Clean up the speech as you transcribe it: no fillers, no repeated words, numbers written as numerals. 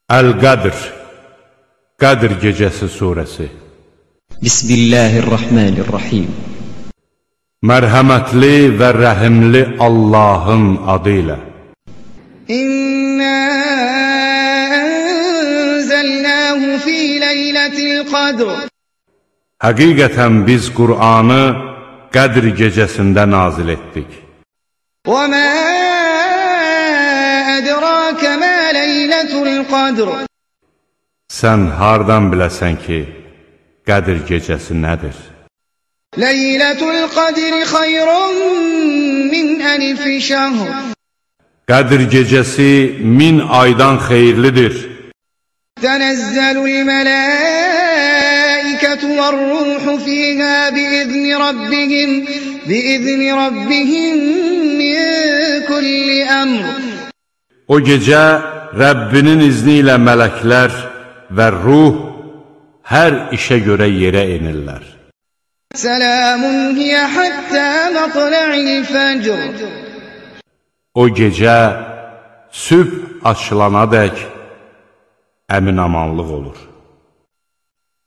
Əl-Qədr, Qədr gecəsi surəsi. Bismillahirrahmanirrahim. Mərhəmətli və rəhimli Allahın adı ilə. İnna ənzəlnəhu fi leylətil qadr. Həqiqətən biz Qur'anı Qədr gecəsində nazil etdik. Və mə ədrakə mə leylətul qadr. Sən hardan biləsən ki, Qədr gecəsi nədir? Leylətul qadri xayrun min əlfi şəhr. Qədr gecəsi 1000 aydan xeyirlidir. Tənəzzəlul mələikətu vər-ruhu fiyhə biizni rabbihim min kulli əmr. O gecə Rəbbinin izni ilə mələklər və ruh hər işə görə yerə enirlər. Səlamun hiyə həttə mətla'il fəcr. O gecə sübh açılanadək əmin-amanlıq olur.